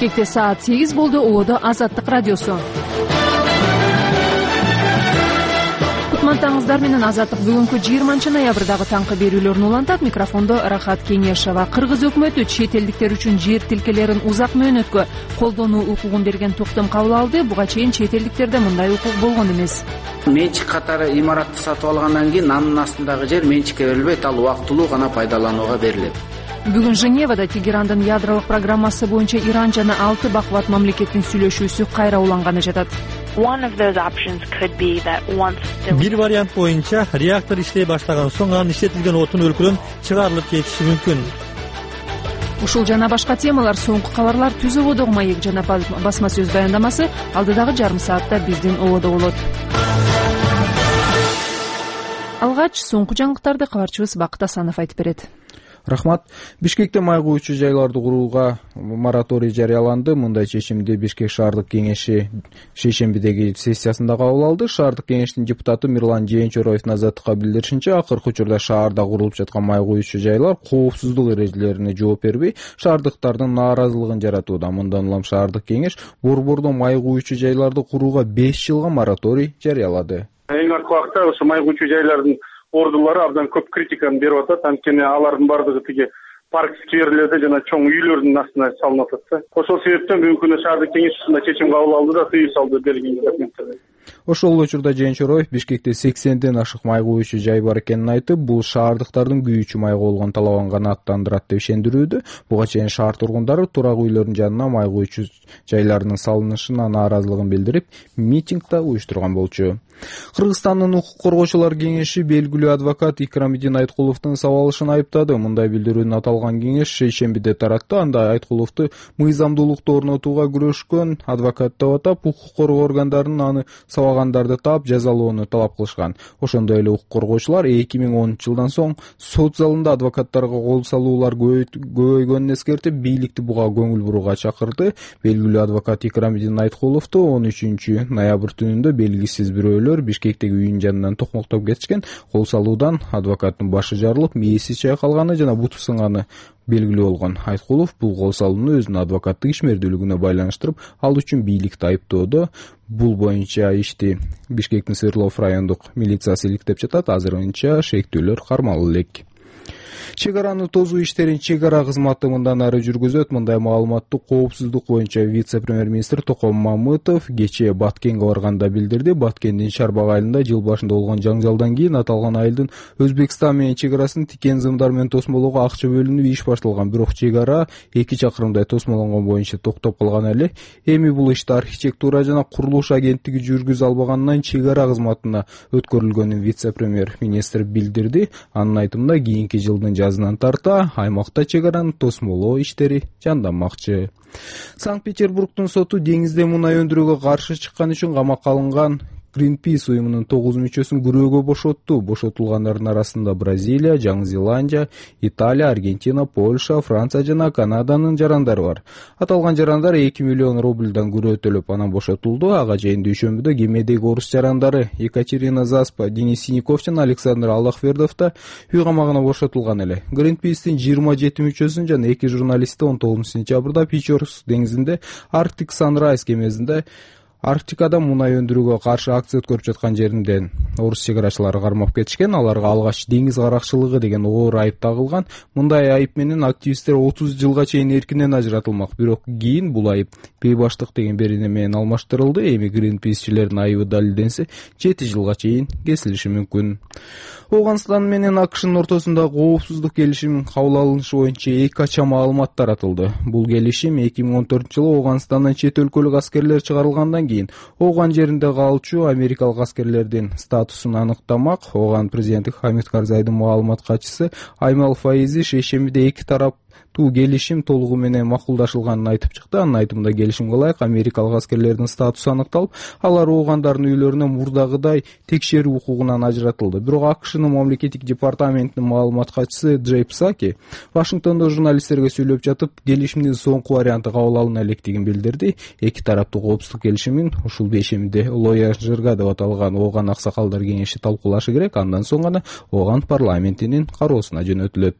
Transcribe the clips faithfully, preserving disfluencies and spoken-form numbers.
Бишкекте саат сегиз болду. Ободо Азаттык радиосу. Кутмантаңыздар менен Азаттык бүгүнкү жыйырманчы ноябрдагы таңкы берүүлөрүн улантат. Микрофондо Рахат Кеңешова. Кыргыз өкмөтү чет элдиктер үчүн жер тилкелерин узак мөөнөткө колдонуу укугун берген токтом кабыл алды. Буга чейин чет элдиктерде мындай укук болгон эмес. Менчик катары имаратты сатып алгандан кийин анын астындагы жер менчикке берилбейт, ал убактылуу гана пайдаланууга берилет. Бүгүн Женевада Тегерандын ядролук программасы боюнча Иран жана алты бакубат мамлекеттин сүйлөшүүсү кайра уланганы жатат. Бир вариант боюнча реактор иштей баштаган соң анын иштетилген отун өлкөдөн чыгарылып кетиши мүмкүн. Ушул жана башка темалар соңку кабарлар Түз ободогу маек жана басма сөз баяндамасы алдыдагы жарым саатта биздин ободо болот. Алгач соңку жаңылыктарды кабарчыбыз Бакыт Асанов айтып берет. Рахмат. Бишкекте май куючу жайларды курууга мораторий жарыяланды. Мындай чечимди Бишкек шаардык кеңеши шейшембидеги сессиясында кабыл алды. Шаардык кеңештин депутаты Мирлан Жээнчороевдун Азаттыкка билдиришинче, акыркы учурда шаарда курулуп жаткан май куючу жайлар коопсуздук эрежелерине жооп бербей, шаардыктардын нааразылыгын жаратууда. Мындан улам шаардык кеңеш борбордо май куючу жайларды курууга беш жылга мораторий жарыялады. Эң аркы убакта ошо май куючу жайлардын ордулары абдан көп критиканы берип атат. Анткени алардын бардыгы тиги парк скверлерде жана чоң үйлөрдүн астына салынып атат. Ошол себептен бүгүнкү күнү шаардык кеңеш ушундай чечим кабыл алды да тыюу салды берген документтерди. Ошол учурда Жээнчороев Бишкекте сексенден ашык май куючу жай бар экенин айтып, бул шаардыктардын күйүүчү майга болгон талабын гана аттандырат деп ишендирүүдө. Буга чейин шаар тургундары турак үйлөрдүн жанына май куючу жайларынын салынышына нааразылыгын билдирип, митинг да уюштурган болчу. Кыргызстандын укук коргоочулар кеңеши белгилүү адвокат Икрамидин Айткуловдун сабалышын айыптады. Мындай билдирүүнү аталган кеңеш шейшембиде таратты. Анда Айткуловду мыйзамдуулукту орнотууга күрөшкөн адвокат деп атап, укук коргоо органдарынын аны сабагандарды таап жазалоону талап кылышкан. Ошондой эле укук коргоочулар эки миң онунчу жылдан соң сот залында адвокаттарга кол салуулар көбөйгөнүн эскертип, бийликти буга көңүл бурууга чакырды. Белгилүү адвокат Икрамидин Айткуловду он үчүнчү ноябрь түнүндө белгисиз бирөөлөр Бишкектеги үйүнүн жанынан токмоктоп кетишкен. Кол салуудан адвокаттын башы жарылып, мээси чайкалганы жана буту сынганы белгилүү болгон. Айткулов бул кол салууну өзүнүн адвокаттык ишмердүүлүгүнө байланыштырып, ал үчүн бийликти айыптоодо. Бул боюнча ишти Бишкектин Свердлов райондук милициясы иликтеп жатат. Азырынча шектүүлөр кармалып элек. Чек араны тозуу иштерин чек ара кызматы мындан ары жүргүзөт. Мындай маалыматты коопсуздук боюнча вице-премьер-министр Током Мамытов кечээ Баткенге барганда билдирди. Баткендин Шарбак айылында жыл башында болгон жаңжалдан кийин аталган айылдын Өзбекстан менен чек арасын тикен зымдар менен тосмолоого акча бөлүнүп иш башталган. Бирок чек ара эки чакырымдай тосмолонгон боюнча токтоп калган эле. Эми бул ишти архитектура жана курулуш агенттиги жүргүзө албагандан чек ара кызматына өткөрүлгөнүн вице-премьер-министр билдирди. Анын айтымында кийинки жылдын жазынан тарта аймакта чек араны тосмолоо иштери жанданмакчы. Санкт-Петербургдун соту деңизде мунай өндүрүүгө каршы чыккан үчүн камакка алынган Greenpeace уюмунун тогуз мүчөсүн күрөөгө бошотту. Бошотулгандардын арасында Бразилия, Жаңы Зеландия, Италия, Аргентина, Польша, Франция жана Канаданын жарандары бар. Аталган жарандар эки миллион рубльдан күрөө төлөп анан бошотулду. Ага чейин дүйшөмбүдө кемедеги орус жарандары Екатерина Заспа, Денис Синякович жана Александр Аллахвердов да үй камагына бошотулган эле. Greenpeace'тин жыйырма жети мүчөсүн жана эки журналисти он тогузунчу сентябрда Пичорс деңизинде Arctic Sunrise кемесинде Арктикада мунай өндүрүүгө каршы акция өткөрүп жаткан жеринден орус чек арачылары кармап кетишкен. Аларга алгач деңиз каракчылыгы деген оор айып тагылган. Мындай айып менен активисттер отуз жылга чейин эркинен ажыратылмак. Бирок кийин бул айып бейбаштык деген берене менен алмаштырылды. Эми Greenpeace'чилердин айыбы далилденсе жети жылга чейин кесилиши мүмкүн. Ооганстан менен АКШнын ортосунда коопсуздук келишим кабыл алынышы боюнча эки кача маалымат таратылды. Бул келишим эки миң он төртүнчү жылы Ооганстандан чет өлкөлүк аскерлер чыгарылгандан кийин Ооган жеринде калчу америкалык аскерлердин статусун аныктамак. Ооган президенти Хамид Карзайдын маалымат катчысы Аймал Фаизи шейшембиде эки тарап туу келишим толугу менен макулдашылганын айтып чыкты. Анын айтымында келишимге ылайык америкалык аскерлердин статусу аныкталып, алар оогандардын үйлөрүнө мурдагыдай текшерүү укугунан ажыратылды. Бирок АКШнын мамлекеттик департаментинин маалымат катчысы Джей Псаки Вашингтондо журналисттерге сүйлөп жатып, келишимдин соңку варианты кабыл алына электигин билдирди. Эки тараптуу коопсуздук келишимин ушул бейшембиде Лоя Жырга деп аталган Ооган аксакалдар кеңеши талкуулашы керек. Андан соң гана Ооган парламентинин кароосуна жөнөтүлөт.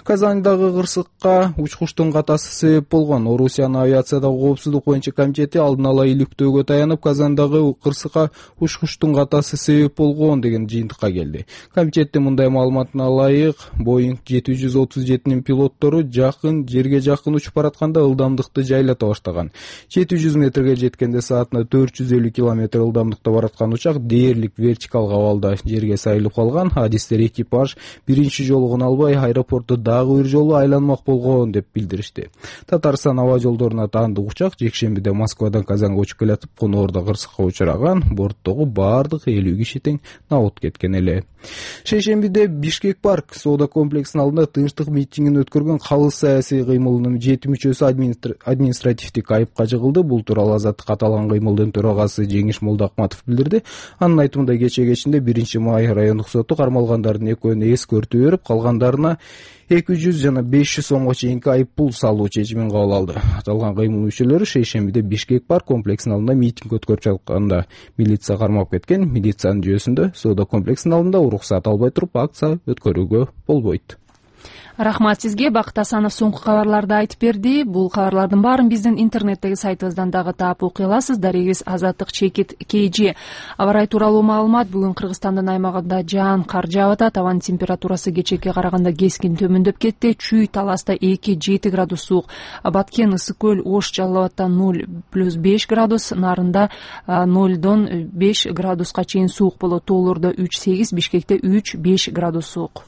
Казандагы кырсыкка учкучтун катасы себеп болгон. Орусиянын авиациядагы коопсуздук боюнча комитети алдын ала иликтөөгө таянып, Казандагы кырсыкка учкучтун катасы себеп болгон деген жыйынтыкка келди. Комитеттин мындай маалыматына ылайык, Боинг жети жүз отуз жетинин пилоттору жакын жерге жакын учуп баратканда ылдамдыкты жайлата баштаган. жети жүз метрге жеткенде саатына төрт жүз элүү километр ылдамдыкта бараткан учак дээрлик вертикалга абалда жерге сайылып калган. Адистер экипаж биринчи жолу гана албай аэропортто дагы бир жолу айланмак болгон деп билдиришти. Татарстан аба жолдоруна таандык учак жекшембиде Москвадан Казанга учуп келатып, конуурда кырсыкка учураган. Борттогу бардык элүү киши тең набыт кеткен эле. Шейшембиде Бишкек парк соода комплексинин алдында тынчтык митингин өткөргөн калыс саясий кыймылдын жети мүчөсү административдик айыпка жыгылды. Бул тууралуу Азаттык аталган кыймылдын төрагасы Жеңиш Молдоахматов билдирди. Анын айтымында кече кечинде биринчи май райондук соту кармалгандардын экөөнү эскертүү берип, калгандарына эки жүз жана беш жүз сомго чейинки айып пул салуу чечимин кабыл алды. Аталган кыймыл мүчөлөрү шейшембиде Бишкек парк комплексинин алдында митинг өткөрүп жатканда милиция кармап кеткен. Милициянын жүйөсүндө соода комплексинин алдында уруксат албай туруп акция өткөрүүгө болбойт. Рахмат сизге. Бакыт Асанов соңку кабарларды айтып берди. Бул кабарлардын баарын биздин интернеттеги сайтыбыздан дагы таап окуй аласыз. Дарегибиз Азаттык чекит kg. Аба ырайы тууралуу маалымат. Бүгүн Кыргызстандын аймагында жаан кар жаап атат. Абанын температурасы кечээкке караганда кескин төмөндөп кетти. Чүй Таласта эки жети градус суук. Баткен, Ысык көл, Ош, Жалал Абадта ноль плюс беш градус, Нарында нолдон беш градуска чейин суук болот. Тоолордо үч сегиз, Бишкекте үч беш градус суук.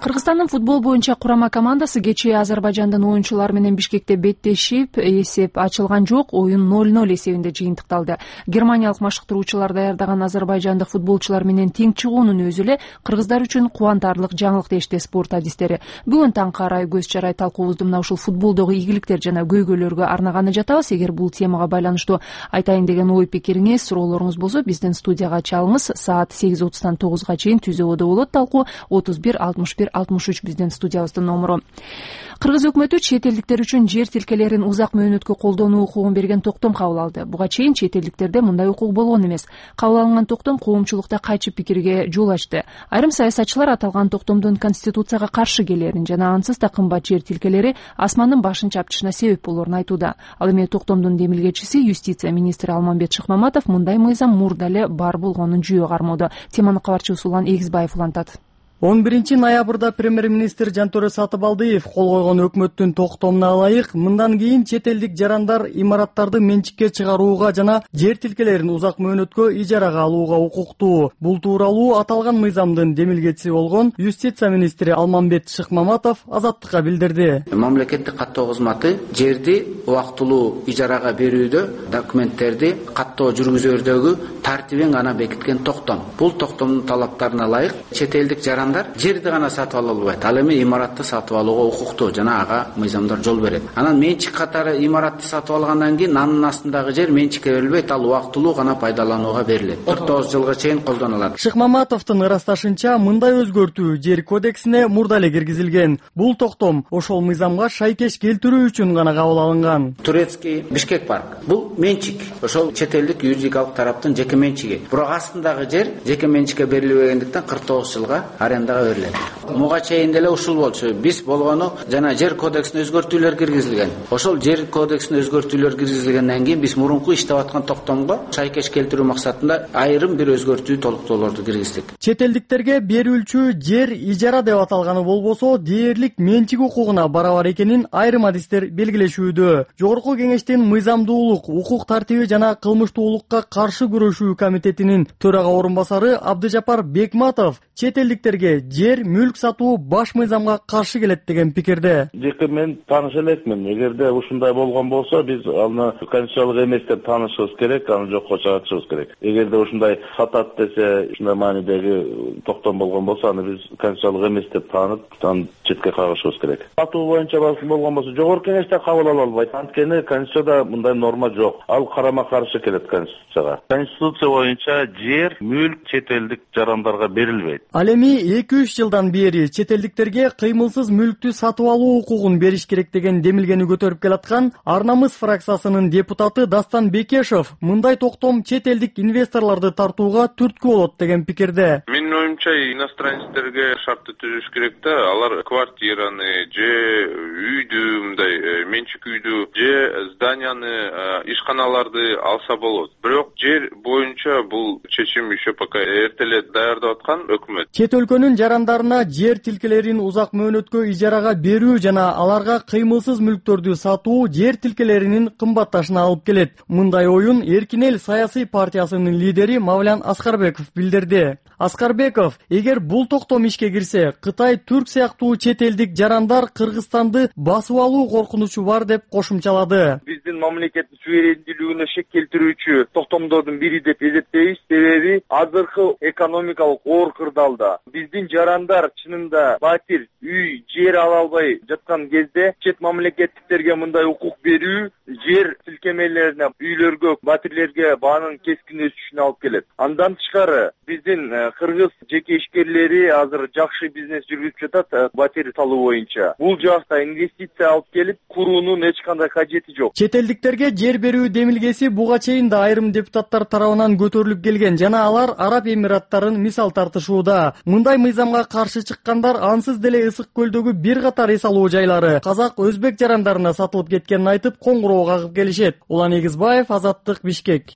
Кыргызстандын футбол боюнча курама командасы кечээ Азербайжандын оюнчулары менен Бишкекте беттешип, эсеп ачылган жок, оюн ноль ноль эсебинде жыйынтыкталды. Германиялык машыктыруучулар даярдаган азербайжандык футболчулар менен тең чыгуунун өзү эле кыргыздар үчүн кубантарлык жаңылык дешти спорт адистери. Бүгүн таң карай көз чарай талкуубузду мына ушул футболдогу ийгиликтер жана көйгөйлөргө арнаганы жатабыз. Эгер бул темага байланыштуу айтайын деген ой пикириңиз, суроолоруңуз болсо биздин студияга чалыңыз. Саат сегиз отуздан тогузга чейин түзөбөдө болот талкуу. отуз бир алтымыш бир алтымыш үч биздин студиябыздын номуру. Кыргыз өкмөтү чет элдиктер үчүн жер тилкелерин узак мөөнөткө колдонуу укугун берген токтом кабыл алды. Буга чейин чет элдиктерде мындай укук болгон эмес. Кабыл алынган токтом коомчулукта кайчы пикирге жол ачты. Айрым саясатчылар аталган токтомдун конституцияга каршы келерин жана ансыз да кымбат жер тилкелери асмандын башын чапчышына себеп болорун айтууда. Ал эми токтомдун демилгечиси юстиция министри Алмамбет Шыкмаматов мындай мыйзам мурда эле бар болгонун жүйө кармоодо. Теманы кабарчыбыз Улан Эгизбаев улантат. он биринчи ноябрда премьер-министр Жантөре Сатыбалдиев кол койгон өкмөттүн токтомуна ылайык мындан кийин чет элдик жарандар имараттарды менчикке чыгарууга жана жер тилкелерин узак мөөнөткө ижарага алууга укуктуу. Бул тууралуу аталган мыйзамдын демилгечиси болгон юстиция министри Алмамбет Шыкмаматов Азаттыкка билдирди. Мамлекеттик каттоо кызматы жерди убактылуу ижарага берүүдө документтерди каттоо жүргүзөрдөгү тартибин гана бекиткен токтом. Бул токтомдун талаптарына ылайык чет элдик жаран жерди гана сатып ала албайт. Ал эми имаратты сатып алууга укуктуу жана ага мыйзамдар жол берет. Анан менчик катары имаратты сатып алгандан кийин анын астындагы жер менчикке берилбейт, ал убактылуу гана пайдаланууга берилет. кырк тогуз жылга чейин колдонулат. Шыкмаматовдун ырасташынча мындай өзгөртүү жер кодексине мурда эле киргизилген. Бул токтом ошол мыйзамга шайкеш келтирүү үчүн гана кабыл алынган. Турецкий Бишкек парк. Бул менчик. Ошол чет элдик юридикалык тараптын жеке менчиги. Бирок астындагы жер жеке менчикке берилбегендиктен кырк тогуз жылга арендага берилет. Муга чейин деле ушул болчу. Биз болгону жана жер кодексине өзгөртүүлөр киргизилген. Ошол жер кодексине өзгөртүүлөр киргизилгенден кийин биз мурунку иштеп аткан токтомго шайкеш келтирүү максатында айрым бир өзгөртүү толуктоолорду киргиздик. Чет элдиктерге берүүлчү жер ижара деп аталганы болбосо дээрлик менчик укугуна барабар экенин айрым адистер белгилешүүдө. Жогорку кеңештин мыйзамдуулук, укук тартиби жана кылмыштуулукка каршы күрөшүү комитетинин төрага орун басары Абдыжапар Бекматов чет элдиктерге жер мүлк сатуу баш мыйзамга каршы келет деген пикирде. Жеке мен тааныш элекмин. Эгерде ушундай болгон болсо, биз аны конституциялык эмес деп таанышыбыз керек, аны жокко чыгартышыбыз керек. Эгерде ушундай сатат десе, ушундай маанидеги токтом болгон болсо, аны биз конституциялык эмес деп таанып, аны четке кагышыбыз керек. Сатуу боюнча болгон болсо, жогорку кеңеште кабыл ала албайт. Анткени конституцияда мындай норма жок. Ал карама каршы келет конституцияга. Конституция боюнча жер мүлк чет элдик жарандарга берилбейт. Ал эми эки үч жылдан бери чет элдиктерге кыймылсыз мүлктү сатып алуу укугун бериш керек деген демилгени көтөрүп келаткан Ар намыс фракциясынын депутаты Дастан Бекешев мындай токтом чет элдик инвесторлорду тартууга түрткү болот деген пикирде. Менин оюмча, иностранецтерге шартты түзүш керек да, алар квартираны же үйдү, мындай менчик үйдү же зданияны, ишканаларды алса болот. Бирок жер боюнча бул чечим еще пока эрте эле даярдап аткан өкмөт. Чет өлкөнүн жарандарына жер тилкелерин узак мөөнөткө ижарага берүү жана аларга кыймылсыз мүлктөрдү сатуу жер тилкелеринин кымбатташына алып келет. Мындай оюн Эркин эл саясий партиясынын лидери Мавлян Аскарбеков билдирди. Аскарбеков, эгер бул токтом ишке кирсе, Кытай, Түрк сыяктуу чет элдик жарандар Кыргызстанды басып алуу коркунучу бар деп кошумчалады. Биздин мамлекеттин суверендүүлүгүнө шек келтирүүчү токтомдордун бири деп эсептейбиз. Себеби азыркы экономикалык оор кырдаалда биздин жарандар чынында батир, үй, жер ала албай жаткан кезде чет мамлекеттиктерге мындай укук берүү жер тилкемелерине, үйлөргө, батирлерге баанын кескин өсүшүнө алып келет. Андан тышкары биздин кыргыз жеке ишкерлери азыр жакшы бизнес жүргүзүп жатат батир салуу боюнча. Бул жакта инвестиция алып келип куруунун эч кандай кажети жок. Чет элдиктерге жер берүү демилгеси буга чейин да айрым депутаттар тарабынан көтөрүлүп келген жана алар Араб Эмираттарын мисал тартышууда. Мындай мыйзамга каршы чыккандар ансыз деле Ысык көлдөгү бир катар эс алуу жайлары казак, өзбек жарандарына сатылып кеткенин айтып коңгуроо кагып келишет. Улан Эгизбаев, Азаттык, Бишкек.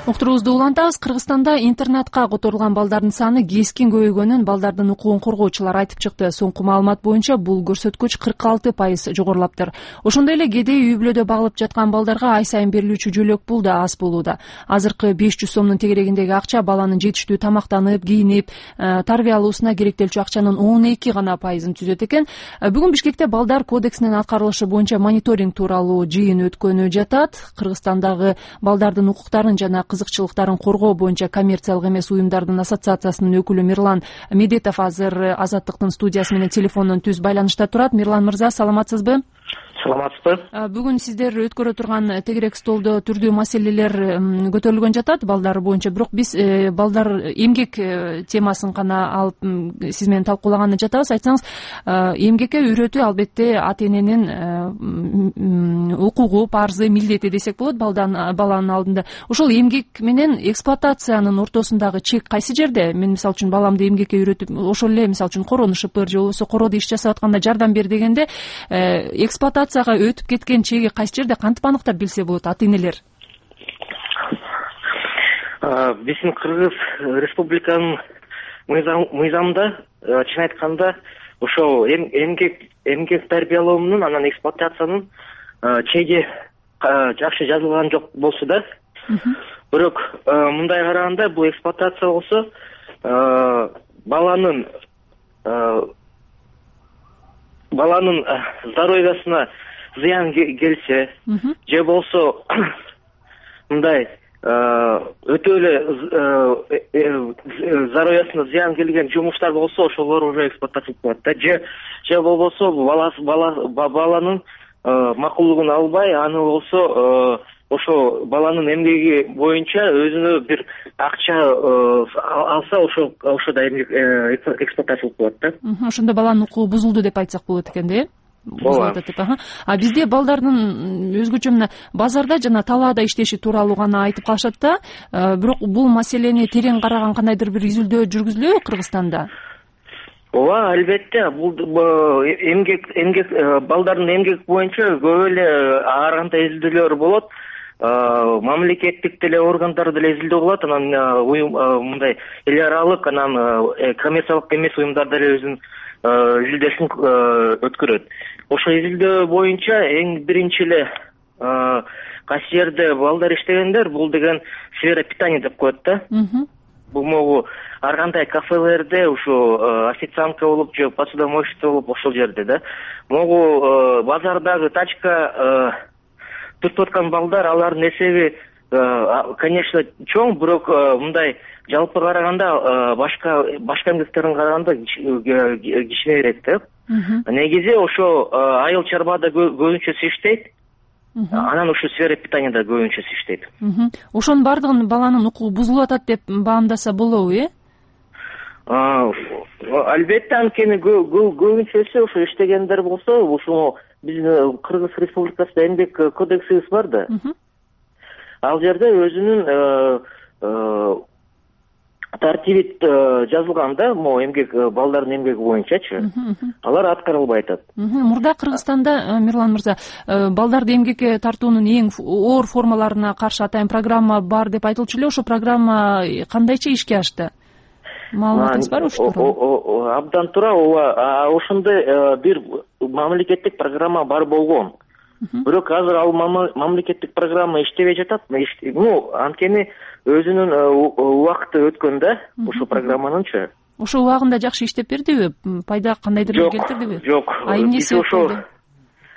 Уктуруубузду улантабыз. Кыргызстанда интернатка которулган балдардын саны кескин көбөйгөнүн балдардын укугун коргоочулар айтып чыкты. Соңку маалымат боюнча бул көрсөткүч кырк алты пайыз жогорулаптыр. Ошондой эле кедей үй бүлөдө багылып жаткан балдарга ай сайын берилүүчү жөлөк пул да аз болууда. Азыркы беш жүз сомдун тегерегиндеги акча баланын жетиштүү тамактанып, кийинип, тарбия алуусуна керектелчү акчанын он эки гана пайызын түзөт экен. Бүгүн Бишкекте балдар кодексинин аткарылышы боюнча мониторинг тууралуу жыйын өткөнү жатат. Кыргызстандагы балдардын укуктарын жана кызыкчылыктарын коргоо боюнча коммерциялык эмес уюмдардын ассоциациясынын өкүлү Мирлан Медетов азыр Азаттыктын студиясы менен телефондон түз байланышта турат. Мирлан мырза, саламатсызбы? Саламатсызбы? Бүгүн сиздер өткөрө турган тегерек столдо түрдүү маселелер көтөрүлгөн жатат балдар боюнча, бирок биз балдар эмгек темасын гана алып сиз менен талкуулаганы жатабыз. Айтсаңыз, эмгекке үйрөтүү албетте ата эненин укугу, парзы, милдети десек болот баланын алдында. Ошол эмгек менен эксплуатациянын ортосундагы чек кайсы жерде? Мен мисалы үчүн баламды эмгекке үйрөтүп, ошол эле мисалы үчүн корону шыпыр же болбосо короодо иш жасап атканда жардам бер дегенде эксплуатация өтүп кеткен чеги кайсы жерде, кантип аныктап билсе болот ата энелер? Биздин Кыргыз Республиканын мыйзамында чын айтканда ошол эмгек эмгек тарбиялоонун анан эксплуатациянын чеги жакшы жазылган жок болсо да, бирок мындай караганда бул эксплуатация болсо баланын баланын здоровьясына зыян келсе же болсо мындай өтө эле здоровьясына зыян келген жумуштар болсо ошолор уже эксплуатация кылат да, же же болбосо баланын макулдугун албай, аны болсо ошо баланын эмгеги боюнча өзүнө бир акча алса ошо ошодо эксплуатация кылат да. Ошондо баланын укугу бузулду деп айтсак болот экен да, э? А бизде балдардын өзгөчө мына базарда жана талаада иштеши тууралуу гана айтып калышат да, бирок бул маселени терең караган кандайдыр бир изилдөө жүргүзүлөбү Кыргызстанда? Ооба, албетте, бул эмгек эмгек балдардын эмгек боюнча көп эле ар кандай изилдөөлөр болот. Мамлекеттик деле органдар деле изилдөө кылат, анан уюм мындай эл аралык, анан коммерциялык эмес уюмдар деле өзүнүн изилдөөсүн өткөрөт. Ошо изилдөө боюнча эң биринчи эле кайсы жерде балдар иштегендер, бул деген сфера питания деп коет да. Бул могу ар кандай кафелерде ушу официантка болуп же посудомойщица болуп ошол жерде да. Могу базардагы тачка түртүп аткан балдар, алардын эсеби конечно чоң, бирок мындай жалпы караганда башка башка эмгектердин караганда кичинерээк да. Негизи ошо айыл чарбада көбүнчөсү иштейт. анан ушу сфера питанияда көбүнчөсү иштейт. Ошонун баардыгын баланын укугу бузулуп атат деп баамдаса болобу, э? Албетте, анткени көбүнчөсү ушу иштегендер болсо, ушул биздин Кыргыз Республикасында эмгек кодексибиз бар да. Ал жерде өзүнүн тартиби жазылган да, могу эмгек балдардын эмгеги боюнчачы. Алар аткарылбай атат. Мурда Кыргызстанда, Мирлан мырза, балдарды эмгекке тартуунун эң оор формаларына каршы атайын программа бар деп айтылчу эле. Ошо программа кандайча ишке ашты? Маалыматыңыз бар ушул тууралуу? Абдан туура, ооба. Ошондой бир мамлекеттик программа бар болгон. Бирок азыр ал мамлекеттик программа иштебей жатат. Ну, анткени өзүнүн убакыты өткөн да, ушул программанынчы. Ошол убагында жакшы иштеп бердиби? Пайда кандайдыр келтирдиби? Жок, Айым несі ошо.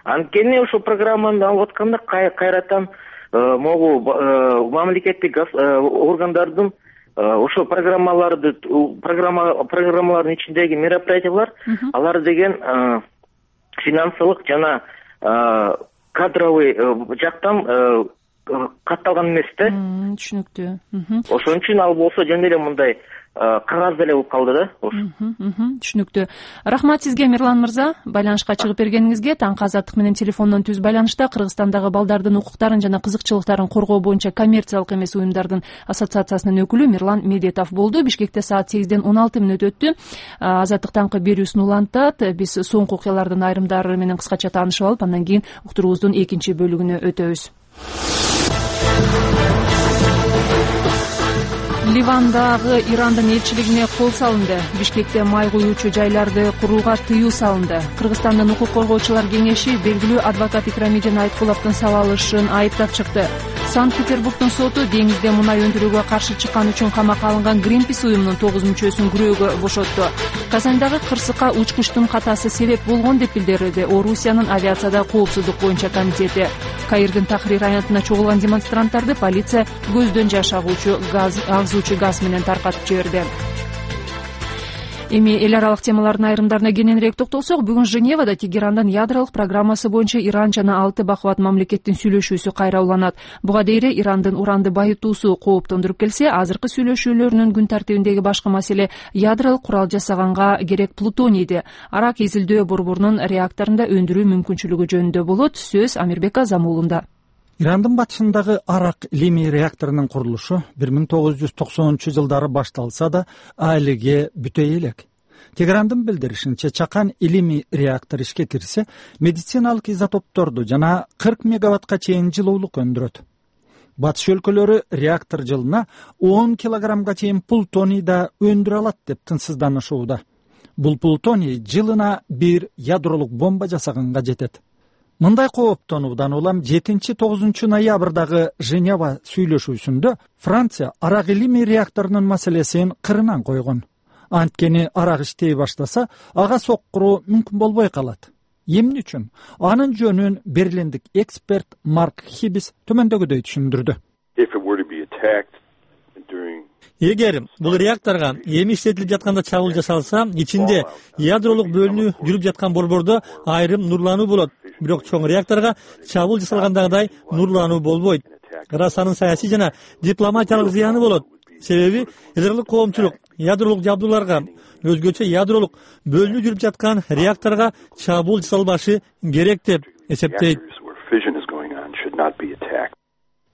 Анткени ушул программаны алып атканда кайрадан могу мамлекеттик органдардын ошо программаларды программа программалардын ичиндеги мероприятиялар, алар деген финансылык жана кадровый жактан катталган эмес да. Түшүнүктүү. Ошон үчүн ал болсо жөн эле мындай кагаз деле болуп калды да. Түшүнүктүү. Рахмат сизге, Мирлан мырза, байланышка чыгып бергениңизге. Таңкы азаттык менен телефондон түз байланышта Кыргызстандагы балдардын укуктарын жана кызыкчылыктарын коргоо боюнча коммерциялык эмес уюмдардын ассоциациясынын өкүлү Мирлан Медетов болду. Бишкекте саат сегизден он алты мүнөт өттү. Азаттык таңкы берүүсүн улантат. Биз соңку окуялардын айрымдары менен кыскача таанышып алып, андан кийин уктуруубуздун экинчи бөлүгүнө өтөбүз. Ливандагы Ирандын элчилигине кол салынды. Бишкекте май куюучу жайларды курууга тыюу салынды. Кыргызстандын укук коргоочулар кеңеши белгилүү адвокат Икрамидин Айткуловдун сабалышын айыптап чыкты. Санкт-Петербургдун соту деңизде мунай өндүрүүгө каршы чыккан үчүн камакка алынган Greenpeace уюмунун тогуз мүчөсүн күрөөгө бошотту. Казандагы кырсыкка учкучтун катасы себеп болгон деп билдирди Орусиянын авиацияда коопсуздук боюнча комитети. Каирдин Тахрир аянтына чогулган демонстранттарды полиция көздөн жаш агуучу газ агзуучу газ менен таркатып жиберди. Эми эл аралык темалардын айрымдарына кененирээк токтолсок, бүгүн Женевада Тегерандын ядролук программасы боюнча Иран жана алты бакубат мамлекеттин сүйлөшүүсү кайра уланат. Буга дейре Ирандын уранды байытуусу кооптондуруп келсе, азыркы сүйлөшүүлөрүнүн күн тартибиндеги башкы маселе ядролук курал жасаганга керек плутонийди Арак изилдөө борборунун реакторунда өндүрүү мүмкүнчүлүгү жөнүндө болот. Сөз Амирбек Азамуулунда. Ирандын батышындагы Арак лими реакторунун курулушу бир миң тогуз жүз токсонунчу жылдары башталса да, айлыге бүтөй элек. Тегерандын билдиришинче, чакан илимий реактор ишке кирсе, медициналык изотопторду жана кырк мегаваттка чейин жылуулук өндүрөт. Батыш өлкөлөрү реактор жылына он килограммга чейин плутоний да өндүрө алат деп тынчсызданышууда. Бул плутоний жылына бир ядролук бомба жасаганга жетет. Мындай кооптонуудан улам жетинчи тогузунчу ноябрдагы Женева сүйлөшүүсүндө Франция Арак илимий реакторунун маселесин кырынан койгон. Анткени Арак иштей баштаса, ага соккуруу мүмкүн болбой калат. Эмне үчүн? Анын жөнүн берлиндик эксперт Марк Хибис төмөндөгүдөй түшүндүрдү. Эгер бул реакторго эми иштетилип жатканда чабуул жасалса, ичинде ядролук бөлүнүү жүрүп жаткан борбордо айрым нурлануу болот. Бирок чоң реакторго чабуул жасалгандагыдай нурлануу болбойт. Расанын саясий жана дипломатиялык зыяны болот. Себеби ядролук коомчулук ядролук жабдууларга, өзгөчө ядролук бөлүнүү жүрүп жаткан реакторго чабуул жасалбашы керек деп эсептейт.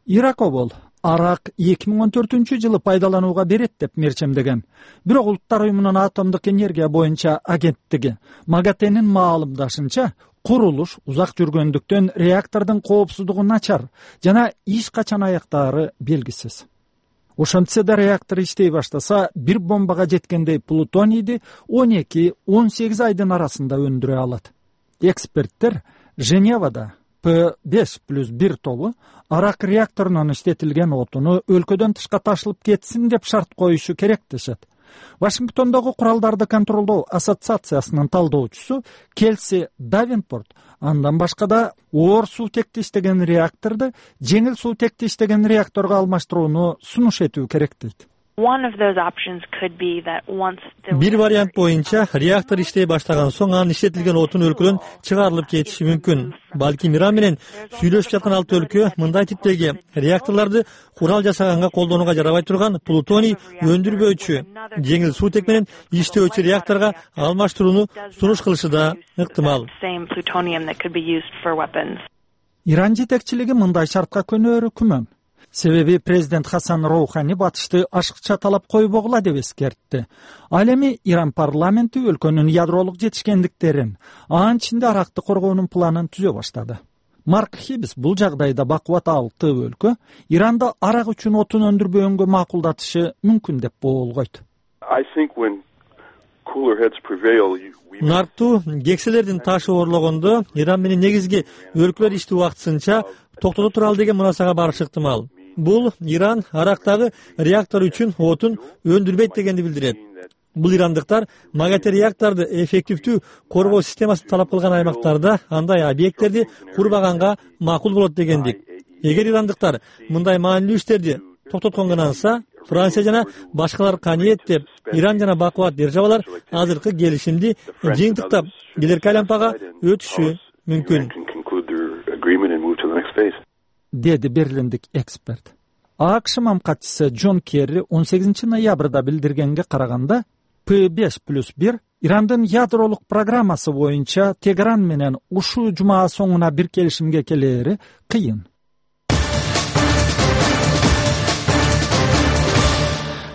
Иракобол Арак эки миң он төртүнчү жылы пайдаланууга берет деп мерчемдеген. Бирок Улуттар уюмунун атомдук энергия боюнча агенттиги МАГАТЭнин маалымдашынча, курулуш узак жүргөндүктөн реактордун коопсуздугу начар жана иш качан аяктаары белгисиз. Ошентсе да реактор иштей баштаса, бир бомбага жеткендей плутонийди он эки он сегиз айдын арасында өндүрө алат. Эксперттер Женевада П беш плюс бир тобу Арак реакторунан иштетилген отуну өлкөдөн тышка ташылып кетсин деп шарт коюшу керек дешет. Вашингтондогу куралдарды контролдоо ассоциациясынын талдоочусу Келси Давенпорт андан башка да оор суутекти иштеген реакторду жеңил суутекти иштеген реакторго алмаштырууну сунуш этүү керек дейт. Бир вариант боюнча реактор иштей баштаган соң анын иштетилген отун өлкөдөн чыгарылып кетиши мүмкүн. Балким Иран менен сүйлөшүп жаткан алты өлкө мындай типтеги реакторлорду курал жасаганга колдонууга жарабай турган плутоний өндүрбөөчү, жеңил суутек менен иштөөчү реакторго алмаштырууну сунуш кылышы да ыктымал. Иран жетекчилиги мындай шартка көнөөрү күмөн. Себеби президент Хасан Роухани батышты ашыкча талап койбогула деп эскертти. Ал эми Иран парламенти өлкөнүн ядролук жетишкендиктерин, анын ичинде аракты коргоонун планын түзө баштады. Марк Хибс бул жагдайда бакубат алты өлкө Иранда арак үчүн отун өндүрбөгөнгө макулдатышы мүмкүн деп боолгойт. Нарттуу кекселердин ташы орлогондо Иран менен негизги өлкөлөр ишти убактысынча токтото туралы деген мунасага барышы ыктымал. Бул Иран арактагы реактор үчүн отун өндүрбөйт дегенди билдирет. Бул ирандыктар МАГАТЭ реакторду эффективдүү коргоо системасын талап кылган аймактарда андай объекттерди курбаганга макул болот дегендик. Эгер ирандыктар мындай маанилүү иштерди токтотконганса, Франция жана башкалар каниет деп Иран жана бакубат державалар азыркы келишимди жыйынтыктап келерки айлампага өтүшү мүмкүн, деди берлиндик эксперт. АКШ мамкатчысы Джон Керри он сегизинчи ноябрда билдиргенге караганда П беш плюс бир Ирандын ядролук программасы боюнча Тегеран менен ушул жума соңуна бир келишимге келери кыйын.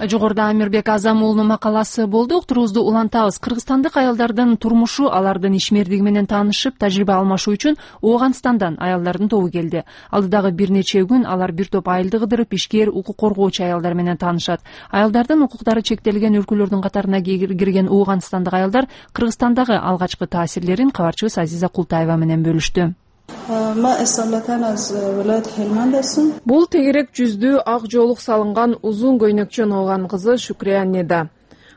Жогоруда Амирбек Азам уулунун макаласы болду. Уктуруубузду улантабыз. Кыргызстандык аялдардын турмушу, алардын ишмердиги менен таанышып, тажрыйба алмашуу үчүн Ооганстандан аялдардын тобу келди. Алдыдагы бир нече күн алар бир топ айылды кыдырып, ишкер, укук коргоочу аялдар менен таанышат. Аялдардын укуктары чектелген өлкөлөрдүн катарына кирген Ооганстандык аялдар Кыргызстандагы алгачкы таасирлерин кабарчыбыз Азиза Култаева менен бөлүштү. Бул тегерек жүздүү ак жоолук салынган узун көйнөкчө ооган кызы Шукрия Неда.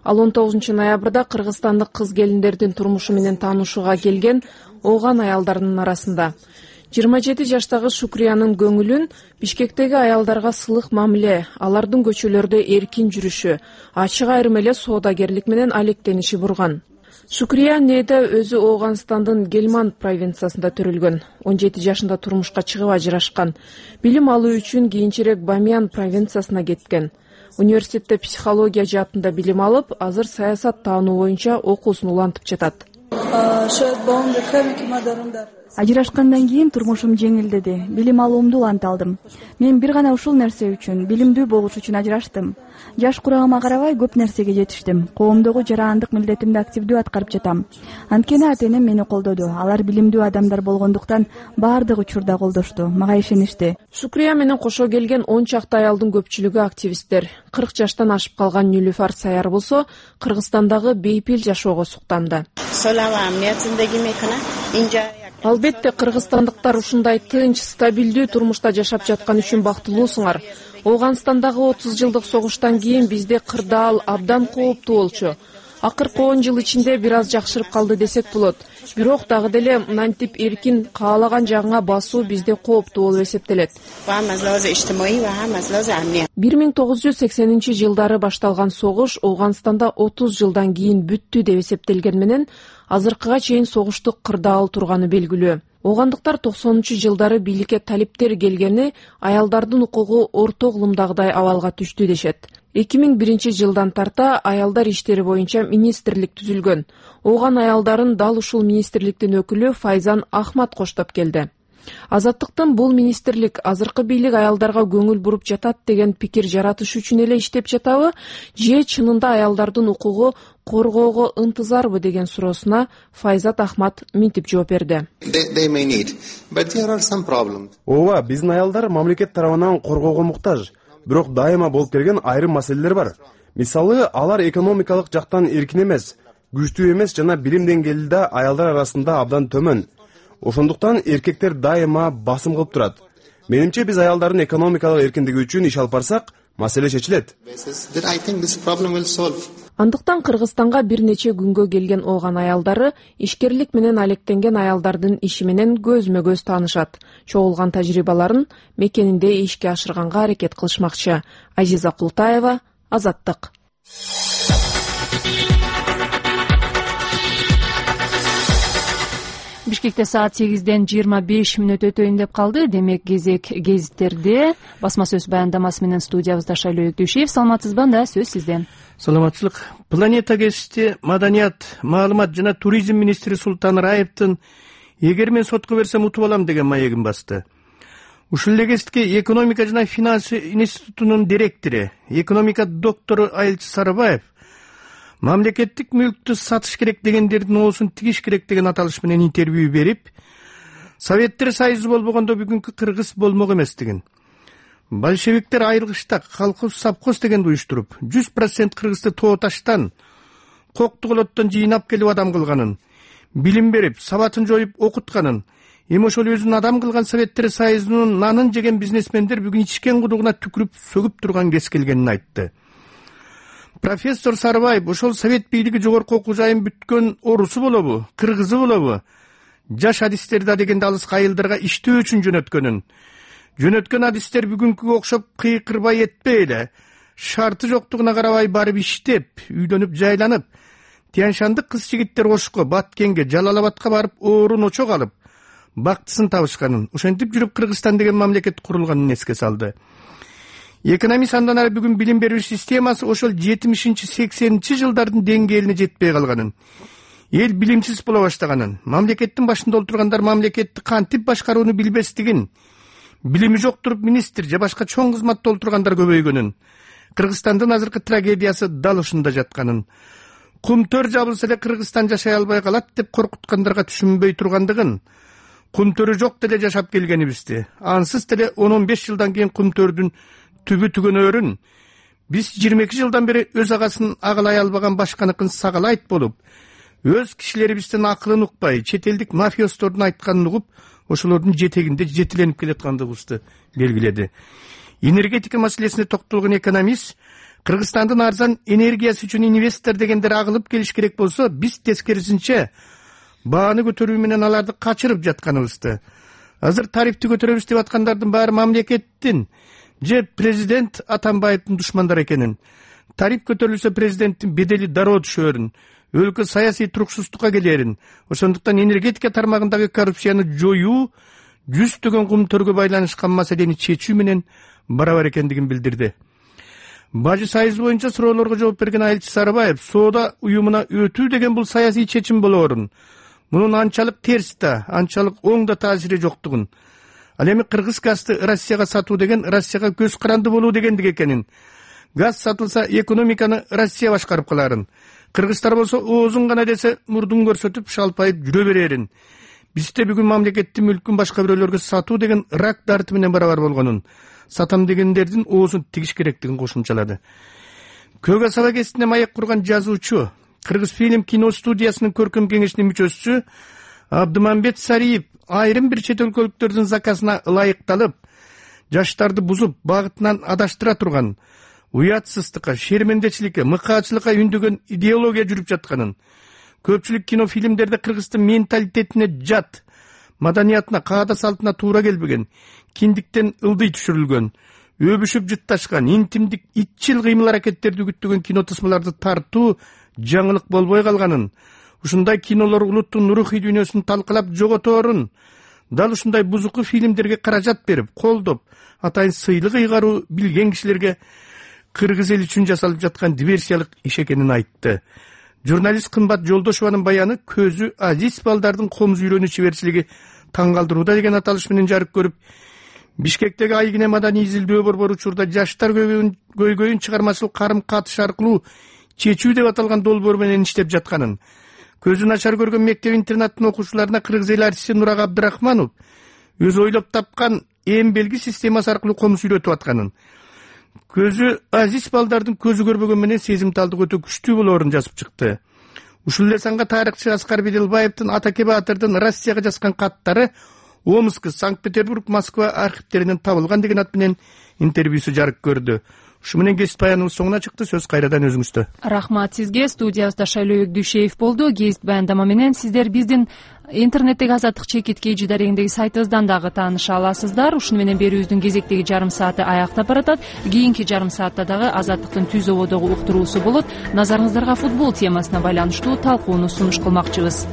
Ал он тогузунчу ноябрда кыргызстандык кыз келиндердин турмушу менен таанышууга келген ооган аялдардын арасында. жыйырма жети жаштагы Шукриянын көңүлүн Бишкектеги аялдарга сылык мамиле, алардын көчөлөрдө эркин жүрүшү, ачык айрым эле соодагерлик менен алектениши бурган. Шукрия Неда өзү Ооганстандын Гельманд провинциясында төрөлгөн. он жети жашында турмушка чыгып ажырашкан. Билим алуу үчүн кийинчерээк Бамиян провинциясына кеткен. Университетте психология жаатында билим алып, азыр саясат таануу боюнча окуусун улантып жатат. Ажырашкандан кийин турмушум жеңилдеди. Билим алуумду уланта алдым. Мен бир гана ушул нерсе үчүн, билимдүү болуш үчүн ажыраштым. Жаш курагыма карабай көп нерсеге жетиштим. Коомдогу жарандык милдетимди активдүү аткарып жатам. Анткени ата-энем мени колдоду. Алар билимдүү адамдар болгондуктан баардык учурда колдошту, мага ишеништи. Шукрия менен кошо келген он чакты аялдын көпчүлүгү активисттер. кырк жаштан ашып калган Нилүфар Саяр болсо Кыргызстандагы бейпил жашоого суктанды. Албетте кыргызстандыктар ушундай тынч, стабилдүү турмушта жашап жаткан үчүн бактылуусуңар. Ооганстандагы отуз жылдык согуштан кийин бизде кырдаал абдан кооптуу болчу. Акыркы он жыл ичинде бир аз жакшырып калды десек болот. Бирок дагы деле мынтип эркин каалаган жагыңа басуу бизде кооптуу болуп эсептелет. бир миң тогуз жүз сексенинчи жылдары башталган согуш Ооганстанда отуз жылдан кийин бүттү деп эсептелген менен азыркыга чейин согуштук кырдаал турганы белгилүү. Оогандыктар токсонунчу жылдары бийликке талиптер келгени аялдардын укугу орто кылымдагыдай абалга түштү дешет. эки миң биринчи жылдан тарта аялдар иштери боюнча министрлик түзүлгөн. Ооган аялдарын дал ушул министрликтин өкүлү Файзан Ахмат коштоп келди. Азаттыктын бул министрлик азыркы бийлик аялдарга көңүл буруп жатат деген пикир жаратыш үчүн эле иштеп жатабы, же чынында аялдардын укугу коргоого ынтызарбы деген суроосуна Файзат Ахмат мынтип жооп берди. Ооба, биздин аялдар мамлекет тарабынан коргоого муктаж, бирок дайыма болуп келген айрым маселелер бар. Мисалы, алар экономикалык жактан эркин эмес, күчтүү эмес жана билим деңгээли да аялдар арасында абдан төмөн. Ошондуктан эркектер дайыма басым кылып турат. Менимче биз аялдардын экономикалык эркиндиги үчүн иш алып барсак, маселе чечилет. Андыктан Кыргызстанга бир нече күнгө келген ооган аялдары ишкерлик менен алектенген аялдардын иши менен көзмө-көз таанышат. Чогулган тажрыйбаларын мекенинде ишке ашырганга аракет кылышмакчы. Азиза Култаева, Азаттык. Бишкекте саат сегизден жыйырма беш мүнөт өтөйүн деп калды. Демек кезек гезиттерде басма сөз баяндамасы менен студиябызда Шайлоо Өктүшев. Саламатсызбы? Анда сөз сизден. Саламатчылык. Планета гезити маданият, маалымат жана туризм министри Султан Раевдин эгер мен сотко берсем утуп алам деген маегин басты. Ушул эле гезитке экономика жана финанс институтунун директору, экономика доктору Айылчы Сарыбаев мамлекеттик мүлктү сатыш керек дегендердин оосун тигиш керек деген аталыш менен интервью берип, Советтер Союзу болбогондо бүгүнкү Кыргыз болмок эмес деген. Большевиктер айрылгычта колхоз совхоз дегенди уюштуруп, жүз процент Кыргызды тоо таштан, коктуголоттон жыйнап келип адам кылганын, билим берип, сабатын жоюп окутканын, эми ошол өзүн адам кылган Советтер Союзунун нанын жеген бизнесмендер бүгүн ичкен кудугуна түкүрүп сөгүп турган кез келгенин айтты. Профессор Сарыбаев ошол совет бийлиги жогорку окуу жайын бүткөн орусу болобу, кыргызы болобу, жаш адистерди да дегенде алыска айылдарга иштөө үчүн жөнөткөнүн, жөнөткөн адистер бүгүнкүгө окшоп кыйкырбай этпей эле, шарты жоктугуна карабай барып иштеп, үйлөнүп жайланып, Тянь-Шандык кыз жигиттер Ошко, Баткенге, Жалал-Абадка барып оорун очок алып, бактысын табышканын, ошентип жүрүп Кыргызстан деген мамлекет курулганын эске салды. Экономист андан ары бүгүн билим берүү системасы ошол жетимишинчи сексенинчи жылдардын деңгээлине жетпей калганын, эл билимсиз боло баштаганын, мамлекеттин башында отургандар мамлекетти кантип башкарууну билбестигин, билими жок туруп министр же башка чоң кызматта отургандар көбөйгөнүн, Кыргызстандын азыркы трагедиясы дал ушунда жатканын, кумтөр жабылса эле Кыргызстан жашай албай калат деп коркуткандарга түшүнбөй тургандыгын, кумтөрү жок деле жашап келгенибизди, ансыз деле он он беш жылдан кийин кумтөрдүн түбү түгөнөрүн, биз жыйырма эки жылдан бери өз агасын агалай албаган башканыкын сагалайт болуп, өз кишилерибиздин акылын укпай, чет элдик мафиостордун айтканын угуп, ошолордун жетегинде жетиленип келаткандыгыбызды белгиледи. Энергетика маселесине токтолгон экономист, Кыргызстандын арзан энергиясы үчүн инвестор дегендер агылып келиш керек болсо, биз тескерисинче бааны көтөрүү менен аларды качырып жатканыбызды. Азыр тарифти көтөрөбүз деп аткандардын баары мамлекеттин же президент Атамбаевдин душмандары экенин, тариф көтөрүлсө президенттин бедели дароо түшөрүн, өлкө саясий туруксуздукка келерин, ошондуктан энергетика тармагындагы коррупцияны жоюу жүздөгөн кумтөргө байланышкан маселени чечүү менен барабар экендигин билдирди. Бажы Союз боюнча суроолорго жооп берген Айылчы Сарыбаев, соода уюмуна өтүү деген бул саясий чечим болоорун, мунун анчалык терс да, анчалык оң да таасири жоктугун, ал эми кыргыз газды Россияга сатуу деген Россияга көз каранды болуу дегендик экенин, газ сатылса экономиканы Россия башкарып каларын, кыргыздар болсо оозун гана десе мурдун көрсөтүп шалпайып жүрө берерин, бизде бүгүн мамлекеттин мүлкүн башка бирөөлөргө сатуу деген рак дарты менен барабар болгонун, сатам дегендердин оозун тигиш керектигин кошумчалады. Көк асаба гезитине маек курган жазуучу, Кыргыз фильм кино студиясынын көркөм кеңешинин мүчөсү Абдымамбет Сариев айрым бир чет өлкөлүктөрдүн заказына ылайыкталып, жаштарды бузуп, багытынан адаштыра турган, уятсыздыкка, шермендечиликке, мыкаачылыкка үндөгөн идеология жүрүп жатканын, көпчүлүк кино фильмдерде Кыргыздын менталитетине жат, маданиятына, каада салтына туура келбеген, киндиктен ылдый түшүрүлгөн, өбүшүп жытташкан, интимдик, итчил кыймыл аракеттерди үгүттөгөн кино тысмаларды тартуу жаңылык болбой калганын, ушундай кинолор улуттун рухий дүйнөсүн талкалап жоготорун, дал ушундай бузуку фильмдерге каражат берип, колдоп, атайын сыйлык ыйгаруу билген кишилерге кыргыз эли үчүн жасалып жаткан диверсиялык иш экенин айтты. Журналист Кымбат Жолдошеванын баяны көзү азиз балдардын комуз үйрөнүү чеберчилиги таң калтырууда деген аталыш менен жарык көрүп, Бишкектеги Айгине маданий изилдөө борбору учурда жаштар көйгөйүн чыгармачылык карым катыш аркылуу чечүү деп аталган долбоор менен иштеп жатканын, көзү начар көргөн мектеп интернаттын окуучуларына кыргыз эли артисти Нурак Абдрахманов өзү ойлоп тапкан эм белги системасы аркылуу комуз үйрөтүп атканын, көзү азиз балдардын көзү көрбөгөн менен сезимталдык өтө күчтүү болоорун жазып чыкты. Ушул эле санга тарыхчы Аскар Беделбаевдин Атаке Баатырдын Россияга жазган каттары Омск, Санкт-Петербург, Москва архивтеринен табылган деген ат менен интервьюсу жарык көрдү. ушу менен кесип баяныбыз соңуна чыкты. Сөз кайрадан өзүңүздө. Рахмат сизге. Студиябызда Шайлоо Дүйшеев болду. Кесип баяндама менен сиздер биздин интернеттеги Азаттык чекит kg дарегиндеги сайтыбыздан дагы тааныша аласыздар. Ушуну менен берүүбүздүн кезектеги жарым сааты аяктап баратат. Кийинки жарым саатта дагы Азаттыктын түз ободогу уктуруусу болот. Назарыңыздарга футбол темасына байланыштуу талкууну сунуш кылмакчыбыз.